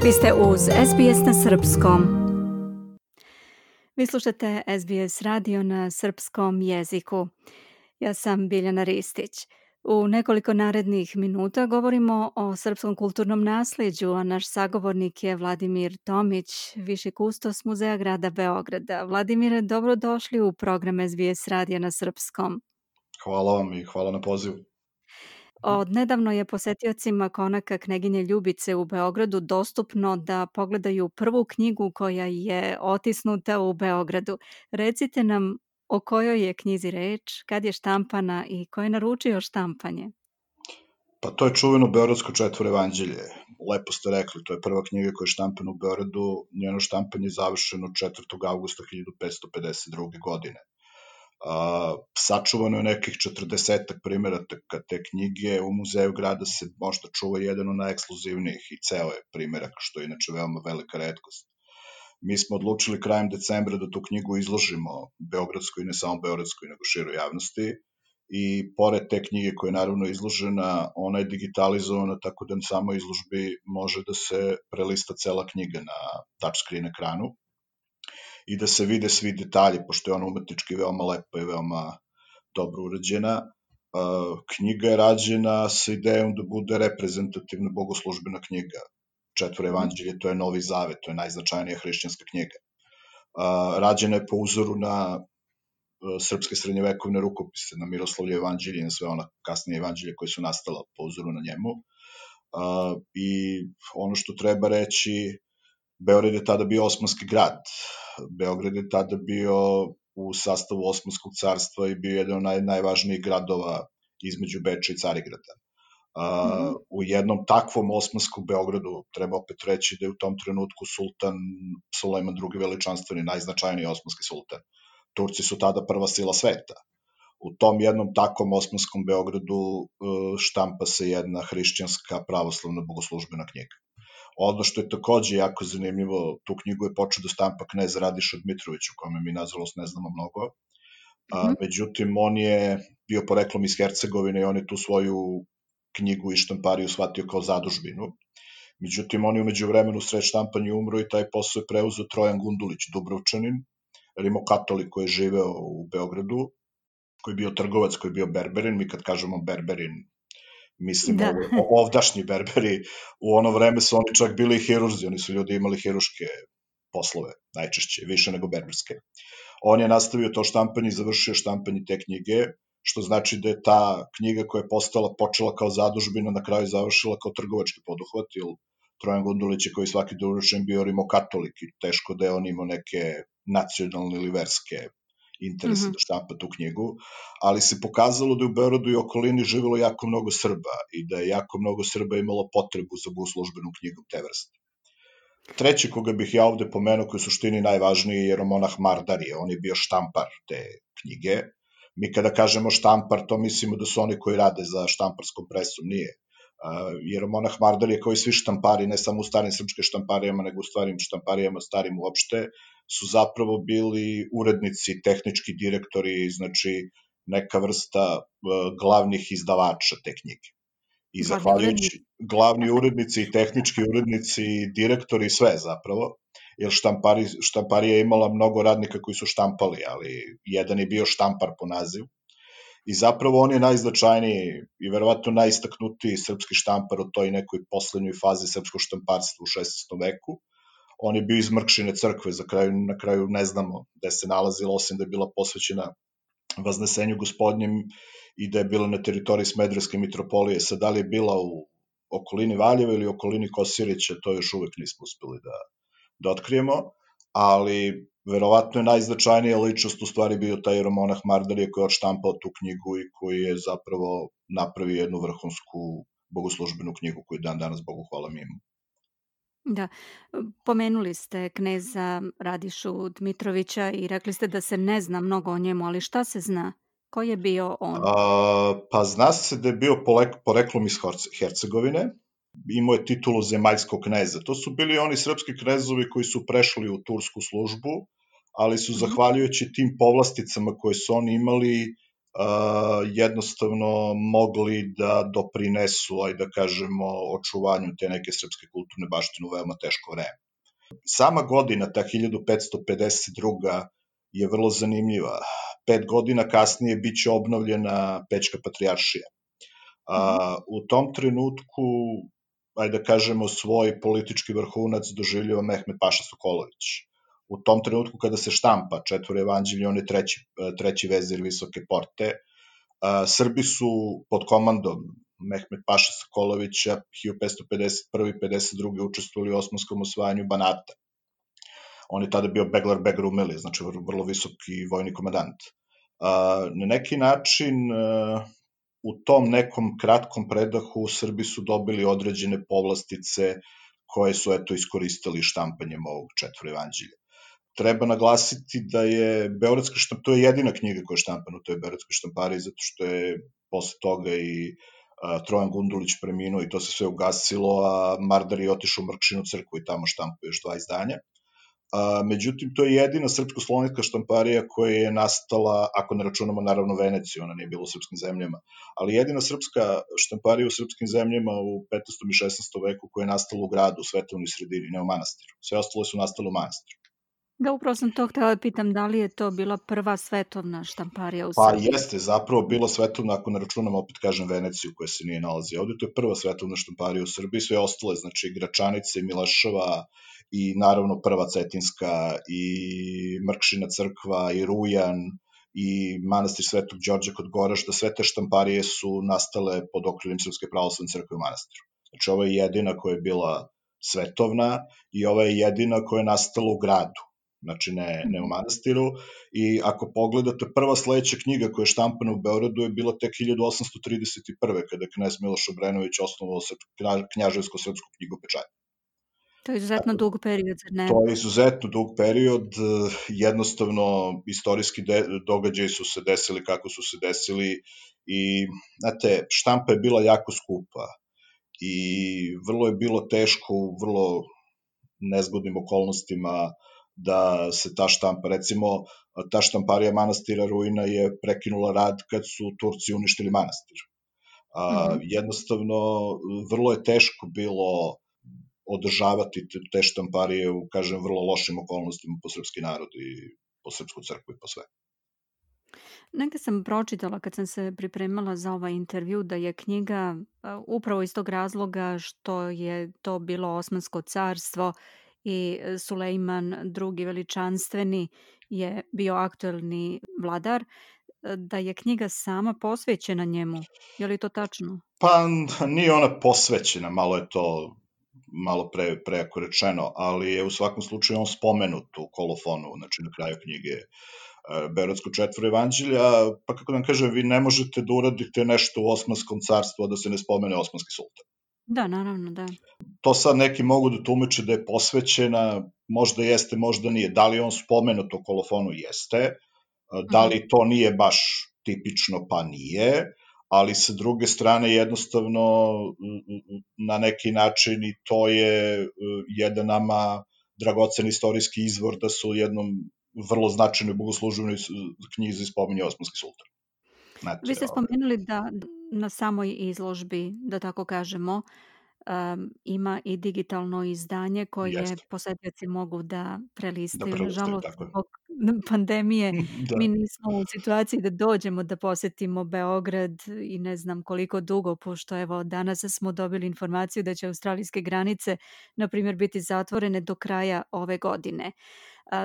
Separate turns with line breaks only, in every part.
Vi ste uz SBS na srpskom. Vi slušate SBS radio na srpskom jeziku. Ja sam Biljana Ristić. U nekoliko narednih minuta govorimo o srpskom kulturnom naslijeđu, a naš sagovornik je Vladimir Tomić, viši kustos Muzeja grada Beograda. Vladimire, dobrodošli u program SBS radija na srpskom.
Hvala vam i hvala na pozivu.
Od nedavno je posetiocima konaka Kneginje Ljubice u Beogradu dostupno da pogledaju prvu knjigu koja je otisnuta u Beogradu. Recite nam o kojoj je knjizi reč, kad je štampana i ko je naručio štampanje?
Pa to je čuveno Beogradsko četvoroevanđelje. Lepo ste rekli, to je prva knjiga koja je štampana u Beogradu. Njeno štampanje je završeno 4. augusta 1552. godine. Sačuvano je nekih 40 primeraka te knjige. U muzeju grada se možda čuva jedan od najekskluzivnijih i ceo je primerak, što je inače veoma velika retkost. Mi smo odlučili krajem decembra da tu knjigu izložimo beogradskoj, ne samo beogradskoj, nego široj javnosti. I pored te knjige koja je naravno izložena, ona je digitalizovana tako da na samoj izložbi može da se prelista cela knjiga na touchscreen ekranu i da se vide svi detalji, pošto je ona umetnički veoma lepa i veoma dobro urađena. Knjiga je rađena sa idejom da bude reprezentativna bogoslužbena knjiga. Četvoroevanđelje, to je Novi Zavet, to je najznačajnija hrišćanska knjiga. Rađena je po uzoru na srpske srednjevekovne rukopise, na Miroslavlje evanđelje i na sve ona kasnije evanđelje koje su nastala po uzoru na njemu. I ono što treba reći, Beograd je tada bio osmanski grad. Beograd je tada bio u sastavu Osmanskog carstva i bio jedan od najvažnijih gradova između Beča i Carigrada. U jednom takvom osmanskom Beogradu treba opet reći da je u tom trenutku sultan Sulejman II veličanstveni, najznačajniji osmanski sultan. Turci su tada prva sila sveta. U tom jednom takvom osmanskom Beogradu štampa se jedna hrišćanska pravoslavna bogoslužbena knjiga. Ono što je takođe jako zanimljivo, tu knjigu je počeo da štampa knez Radiša Dmitrović, o kome mi nažalost ne znamo mnogo. Međutim, on je bio poreklom iz Hercegovine i on je tu svoju knjigu i štampariju shvatio kao zadužbinu. Međutim, on je umeđu vremenu sred štampanja umro i taj posao je preuzeo Trojan Gundulić, Dubrovčanin, rimokatolik koji je živeo u Beogradu, koji je bio trgovac, koji je bio berberin. Mi kad kažemo berberin, mislimo ovdašnji berberi. U ono vreme su oni čak bili i hirurzi, oni su ljudi imali hiruške poslove, najčešće, više nego berberske. On je nastavio to štampanje i završio štampanje te knjige, što znači da je ta knjiga koja je počela kao zadužbina, na kraju završila kao trgovački poduhvat, jer Trojan Gundulić je koji svaki Dubrovčanin bio rimokatolik i teško da je on imao neke nacionalne ili verske interese da štampa tu knjigu, ali se pokazalo da je u Beogradu i okolini živelo jako mnogo Srba i da je jako mnogo Srba imalo potrebu za bogoslužbenu knjigu te vrste. Treći koga bih ja ovde pomenuo, koji je u suštini najvažniji, je jeromonah Mardarije. On je bio štampar te knjige. Mi kada kažemo štampar, to mislimo da su oni koji rade za štamparskom presom, nije. Jeromonah Mardarije, kao i svi štampari, ne samo u starim srpskim štamparijama, nego u starim štamparijama, starim uopšte, su zapravo bili urednici, tehnički direktori, znači neka vrsta glavnih izdavača te knjige. I zahvaljujući glavni urednici, tehnički urednici, direktori, sve zapravo, jer štamparija je imala mnogo radnika koji su štampali, ali jedan je bio štampar po nazivu. I zapravo on je najznačajniji i verovatno najistaknutiji srpski štampar u toj nekoj poslednjoj fazi srpskog štamparstva u 16. veku. On je bio iz Mrkšine crkve, na kraju ne znamo gde se nalazila, osim da je bila posvećena Vaznesenju gospodnjem i da je bila na teritoriji Smederevske mitropolije. Sad, da li je bila u okolini Valjeva ili okolini Kosirića, to još uvek nismo uspeli da otkrijemo, ali verovatno je najznačajnija ličnost u stvari bio taj jeromonah Mardarije koji je odštampao tu knjigu i koji je zapravo napravio jednu vrhunsku bogoslužbenu knjigu koju dan danas, Bogu hvala, mi imamo.
Da, pomenuli ste kneza Radišu Dmitrovića i rekli ste da se ne zna mnogo o njemu, ali šta se zna? Ko je bio on?
Pa zna se da je bio poreklom iz Hercegovine, imao je titulu zemaljskog kneza. To su bili oni srpski knezovi koji su prešli u tursku službu, ali su zahvaljujući tim povlasticama koje su oni imali jednostavno mogli da doprinesu, da kažemo, očuvanju te neke srpske kulturne baštine u veoma teško vreme. Sama godina, ta 1552. je vrlo zanimljiva. 5 godina kasnije biće obnovljena Pećka patrijaršija. U tom trenutku, da kažemo, svoj politički vrhunac doživljava Mehmed Paša Sokolović. U tom trenutku kada se štampa Četvoro evanđelje, on je treći vezir Visoke Porte. Srbi su pod komandom Mehmed Paša Sokolovića 1551-52. učestvovali u osmanskom osvajanju Banata. On je tada bio Beglar Beg Rumeli, znači vrlo visoki vojni komandant. Na neki način, u tom nekom kratkom predahu Srbi su dobili određene povlastice koje su iskoristili štampanjem ovog Četvoro evanđelja. Treba naglasiti da je Beogradska štamparija, to je jedina knjiga koja je štampana u toj Beogradskoj štampariji, zato što je posle toga i Trojan Gundulić preminuo i to se sve ugasilo, a Mardar je otišao u Mrkšinu crkvu i tamo štampao još 2 izdanja. Međutim, to je jedina srpsko-slovenska štamparija koja je nastala, ako ne računamo naravno Veneciju, ona nije bila u srpskim zemljama, ali jedina srpska štamparija u srpskim zemljama u 15. i 16. veku koja je nastala u gradu, u svetovnoj sredini, ne u manastiru. Sve ostalo su nastale u manastiru.
Da, upravo sam to htjela pitam, da li je to bila prva svetovna štamparija u Srbiji?
Pa jeste, zapravo bila svetovna, ako ne računamo, opet kažem, Veneciju koja se nije nalazi ovde, to je prva svetovna štamparija u Srbiji, sve ostale, znači Gračanice, Milaševa i naravno prva Cetinska i Mrkšina crkva i Rujan i manastir Svetog Đorđa kod Goražda, sve te štamparije su nastale pod okriljem Srpske pravoslavne crkve u manastiru. Znači ovo je jedina koja je bila svetovna i ova je jedina koja je nastala u gradu, znači ne u manastiru. I ako pogledate, prva sledeća knjiga koja je štampana u Beogradu je bila tek 1831. kada je knez Miloš Obrenović osnovao Knjaževsko-srpsku knjigopečatnju.
To je izuzetno dug period, zar ne?
To je izuzetno dug period, jednostavno istorijski događaji su se desili kako su se desili i, znate, štampa je bila jako skupa i vrlo je bilo teško u vrlo nezgodnim okolnostima da se ta štampa, recimo, ta štamparija manastira Ruina je prekinula rad kad su Turci uništili manastir. Jednostavno, vrlo je teško bilo održavati te štamparije u, kažem, vrlo lošim okolnostima po srpski narod i po srpsku crkvu i po sve.
Negde sam pročitala kad sam se pripremala za ovaj intervju da je knjiga upravo iz tog razloga što je to bilo Osmansko carstvo i Sulejman II. Veličanstveni je bio aktuelni vladar, da je knjiga sama posvećena njemu. Je li to tačno?
Pa nije ona posvećena, malo je to prejako rečeno, ali je u svakom slučaju on spomenut u kolofonu, znači na kraju knjige Beogradsko Četvoro evanđelja, pa kako da vam kažem, vi ne možete da uradite nešto u Osmanskom carstvu, a da se ne spomene Osmanski sultan.
Da, naravno, da.
To sad neki mogu da tumače da je posvećena, možda jeste, možda nije. Da li on spomenut u kolofonu? Jeste. Da li to nije baš tipično? Pa nije. Ali sa druge strane jednostavno na neki način i to je jedan nama dragocen istorijski izvor da su u jednom vrlo značajnoj bogoslužbenoj knjizi spominje Osmanski sultan. Znate,
vi ste spomenuli da na samoj izložbi, da tako kažemo, ima i digitalno izdanje koje posetioci mogu da prelistaju. Nažalost, zbog pandemije mi nismo u situaciji da dođemo da posetimo Beograd i ne znam koliko dugo, pošto evo danas smo dobili informaciju da će australijske granice, na primjer, biti zatvorene do kraja ove godine.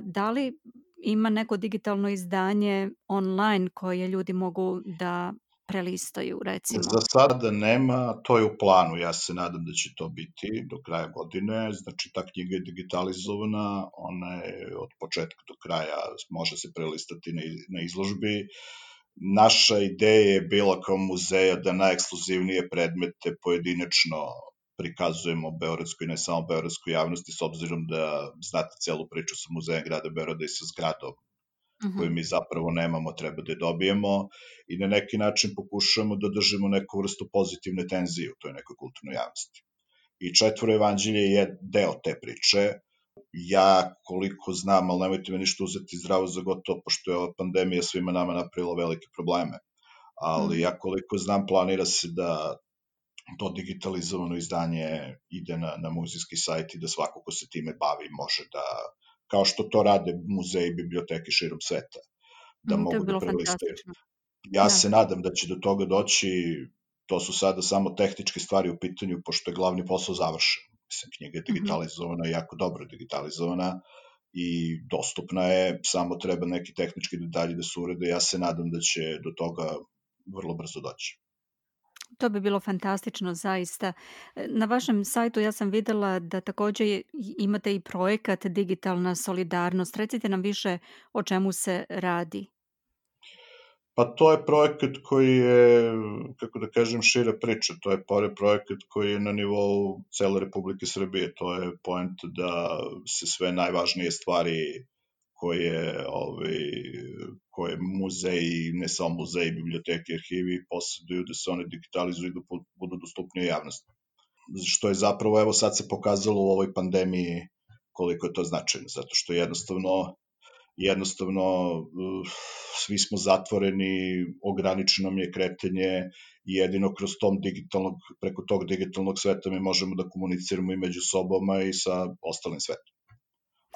Da li ima neko digitalno izdanje online koje ljudi mogu da prelistaju, recimo?
Za sada nema, to je u planu, ja se nadam da će to biti do kraja godine, znači ta knjiga je digitalizovana, ona je od početka do kraja, može se prelistati na izložbi. Naša ideja je bila kao muzeja da najekskluzivnije predmete pojedinačno prikazujemo beogradskoj i ne samo beogradskoj javnosti, s obzirom da znate celu priču sa muzejem grada Beograda i sa zgradom koju mi zapravo nemamo, treba da je dobijemo i na neki način pokušamo da držimo neku vrstu pozitivne tenzije u toj nekoj kulturnoj javnosti. I Četvoro evanđelje je deo te priče. Ja, koliko znam, ali nemojte me ništa uzeti zdravo za gotovo, pošto je ova pandemija svima nama napravila velike probleme. ali ja koliko znam planira se da to digitalizovano izdanje ide na muzejski sajt i da svako ko se time bavi može da, kao što to rade muzeji i biblioteke širom sveta, da
To je
mogu da
bilo
prelistaju.
fantastično.
Ja
Da.
se nadam da će do toga doći, to su sada samo tehničke stvari u pitanju, pošto je glavni posao završen. Mislim, knjiga je digitalizovana, jako dobro digitalizovana i dostupna je, samo treba neki tehnički detalji da se urede. Ja se nadam da će do toga vrlo brzo doći.
To bi bilo fantastično zaista. Na vašem sajtu ja sam videla da takođe imate i projekat Digitalna solidarnost. Recite nam više o čemu se radi.
Pa to je projekat koji je, kako da kažem, šira priča. To je projekat koji je na nivou cele Republike Srbije. To je point da se sve najvažnije stvari koje muzeji, ne samo muzeji, biblioteke, arhivi posjeduju, da se one digitalizuju i da budu dostupnije javnosti. Što je zapravo, evo sad se pokazalo u ovoj pandemiji koliko je to značajno, zato što jednostavno svi smo zatvoreni, ograničeno mi je kretanje i jedino preko tog digitalnog sveta mi možemo da komuniciramo i među sobama i sa ostalim svetom.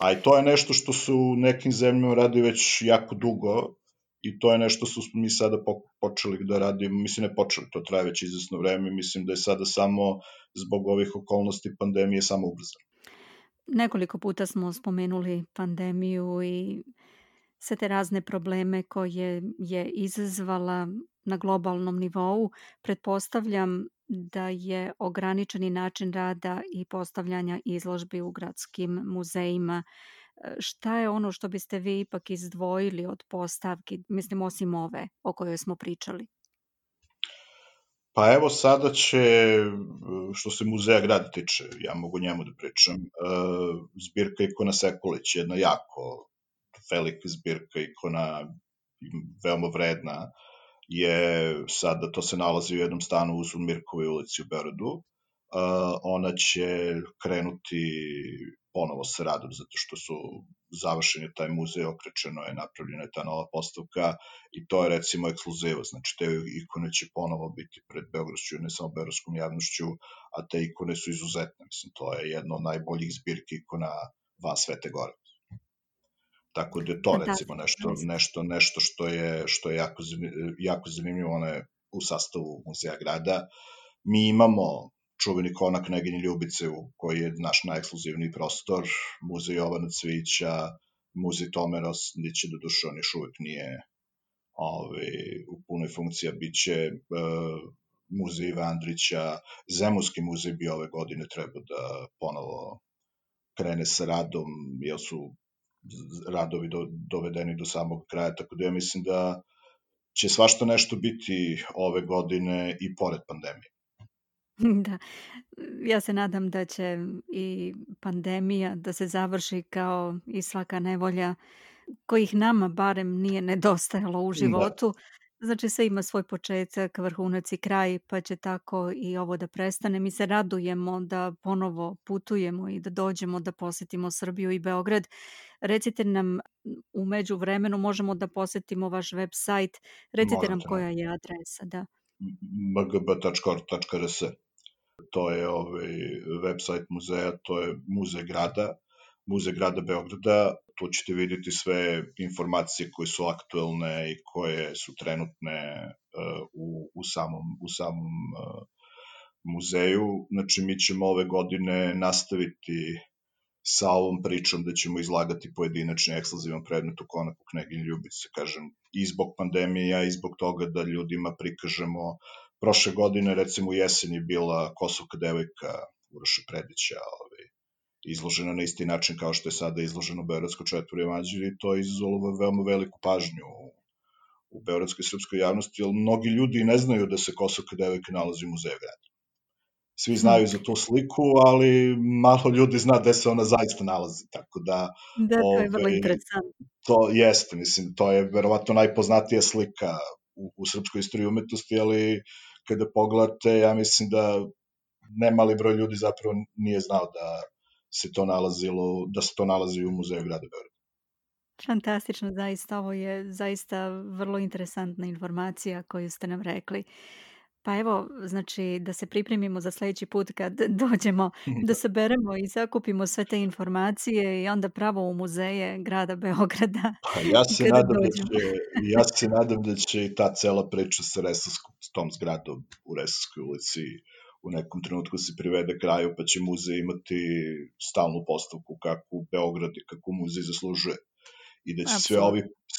A i to je nešto što su u nekim zemljama radi već jako dugo i to je nešto što smo mi sada počeli da radimo, mislim ne počeli, to traje već izvesno vreme, mislim da je sada samo zbog ovih okolnosti pandemije samo ubrzano.
Nekoliko puta smo spomenuli pandemiju i sve te razne probleme koje je izazvala na globalnom nivou. Pretpostavljam da je ograničeni način rada i postavljanja izložbi u gradskim muzejima. Šta je ono što biste vi ipak izdvojili od postavki, mislim osim ove o kojoj smo pričali?
Pa evo sada će, što se muzeja grada tiče, ja mogu njemu da pričam, zbirka ikona Sekulić, jedna jako velika zbirka ikona, veoma vredna, sada, to se nalazi u jednom stanu u Mirkovoj ulici u Beogradu. Ona će krenuti ponovo sa radom, zato što su završeni taj muzej, okrečeno je, napravljena je ta nova postavka i to je recimo ekskluziva, znači te ikone će ponovo biti pred beogradskom, ne samo beogradskom javnošću, a te ikone su izuzetne, mislim, to je jedno od najboljih zbirki ikona van Svete Gore. Tako da je to recimo nešto što je jako zanimljivo, ono je u sastavu muzeja grada. Mi imamo čuveni konak Kneginje Ljubice koji je naš najekskluzivniji prostor, muzej Jovana Cvijića, muzej Tome Rosnića, doduše on još uvek nije u punoj funkciji, biće muzej Iva Andrića, Zemunski muzej bi ove godine trebao da ponovo krene sa radom, jer su radovi dovedeni do samog kraja, tako da ja mislim da će svašta nešto biti ove godine i pored pandemije.
Da, ja se nadam da će i pandemija da se završi kao i svaka nevolja kojih nama barem nije nedostajalo u životu. Znači sve ima svoj početak, vrhunac i kraj, pa će tako i ovo da prestane. Mi se radujemo da ponovo putujemo i da dođemo da posetimo Srbiju i Beograd. Recite nam, u međuvremenu možemo da posetimo vaš web sajt. Recite nam koja je adresa. Da.
mgb.org.rs. To je web sajt muzeja, to je Muzej grada Beograda. Tu ćete vidjeti sve informacije koje su aktuelne i koje su trenutne u samom muzeju. Znači, mi ćemo ove godine nastaviti sa ovom pričom da ćemo izlagati pojedinačni ekskluzivan predmet u konaku Kneginje Ljubice, kažem, i zbog pandemija i zbog toga da ljudima prikažemo. Prošle godine, recimo u jesen je bila Kosovka devojka Uroša Predića, izložena na isti način kao što je sada izloženo Beogradsko četvrto jevanđelje i to je izazvalo veoma veliku pažnju u beogradskoj srpskoj javnosti, jer mnogi ljudi ne znaju da se Kosovka devojka nalazi u muzeju grada. Svi znaju za tu sliku, ali malo ljudi zna gde se ona zaista nalazi, tako da...
Da, to je vrlo interesantno.
To jeste, mislim, to je verovatno najpoznatija slika u srpskoj istoriji umetnosti, ali kada pogledate, ja mislim da nemali broj ljudi zapravo nije znao da se to nalazi u muzeju grada Beograda.
Fantastično, zaista. Ovo je zaista vrlo interesantna informacija koju ste nam rekli. Pa evo, znači da se pripremimo za sljedeći put kad dođemo, da saberemo i sakupimo sve te informacije i onda pravo u muzeje grada Beograda
Pa ja se
kada
nadam
dođemo.
da će i ta cela priča sa s tom zgradom u Resavskoj ulici u nekom trenutku se privede kraju, pa će muzej imati stalnu postavku kakvu Beograd i kakvu muzej zaslužuje. I da će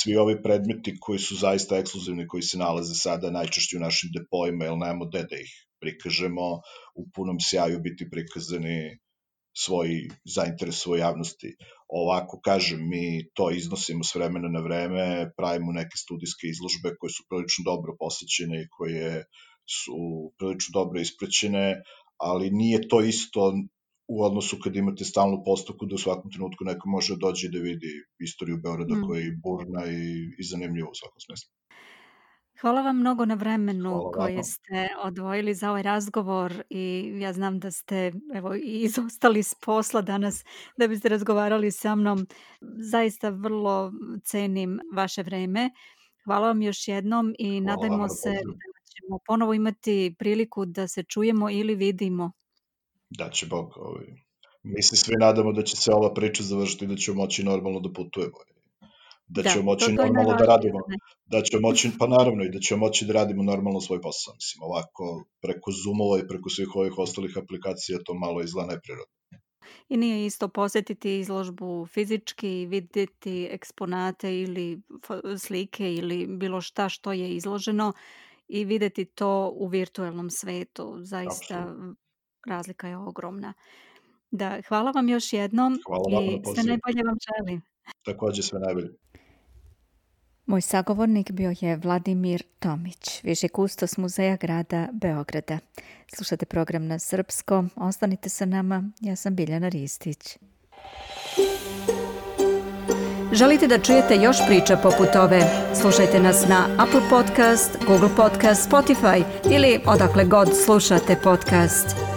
svi ovi predmeti koji su zaista ekskluzivni, koji se nalaze sada najčešće u našim depojima, jer nemamo gde da ih prikažemo, u punom sjaju biti prikazani zainteresovoj javnosti. Ovako, kažem, mi to iznosimo s vremena na vreme, pravimo neke studijske izložbe koje su prilično dobro posećene i koje su prilično dobro ispraćene, ali nije to isto u odnosu kad imate stalnu postavku da u svakom trenutku neko može doći da vidi istoriju Beograda koja je burna i zanimljiva u svakom smislu.
Hvala vam mnogo na vremenu koje ste odvojili za ovaj razgovor i ja znam da ste i izostali s posla danas da biste razgovarali sa mnom. Zaista vrlo cenim vaše vreme. Hvala vam još jednom i nadajmo se da ćemo ponovo imati priliku da se čujemo ili vidimo.
Da će Bog. Mi se svi nadamo da će se ova priča završiti i da ćemo moći normalno da putujemo. Da ćemo moći normalno da radimo. Da ćemo moći, pa naravno, i da ćemo moći da radimo normalno svoj posao. Mislim, ovako, preko Zoomova i preko svih ovih ostalih aplikacija to malo izgleda neprirodno.
I nije isto posjetiti izložbu fizički, vidjeti eksponate ili slike ili bilo šta što je izloženo i vidjeti to u virtualnom svetu. Zaista razlika je ogromna. Da, hvala vam još jednom i sve najbolje vam želim.
Također sve najbolje.
Moj sagovornik bio je Vladimir Tomić, viši kustos Muzeja grada Beograda. Slušate program na srpskom, ostanite sa nama, ja sam Biljana Ristić. Želite da čujete još priča poput ove? Slušajte nas na Apple Podcast, Google Podcast, Spotify ili odakle god slušate podcast.